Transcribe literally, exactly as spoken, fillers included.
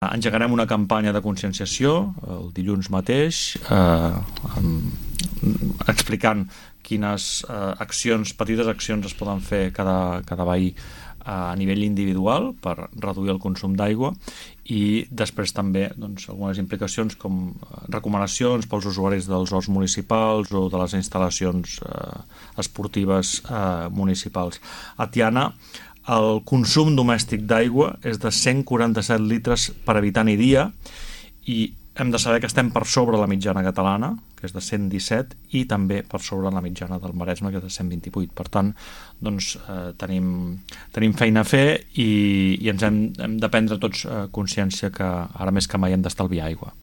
Engegarem una campanya de conscienciació el dilluns mateix, eh, explicant quines eh, accions, petites accions es poden fer cada, cada veí a nivell individual per reduir el consum d'aigua, i després també doncs, algunes implicacions com recomanacions pels usuaris dels horts municipals o de les instal·lacions eh, esportives eh, municipals. A Tiana el consum domèstic d'aigua és de cent quaranta-set litres per habitant i dia, i hem de saber que estem per sobre la mitjana catalana, que és de cent disset, i també per sobre la mitjana del Maresme, que és de cent vint-i-vuit. Per tant, doncs, eh, tenim, tenim feina a fer i, i ens hem, hem de prendre tots eh, consciència que ara més que mai hem d'estalviar aigua.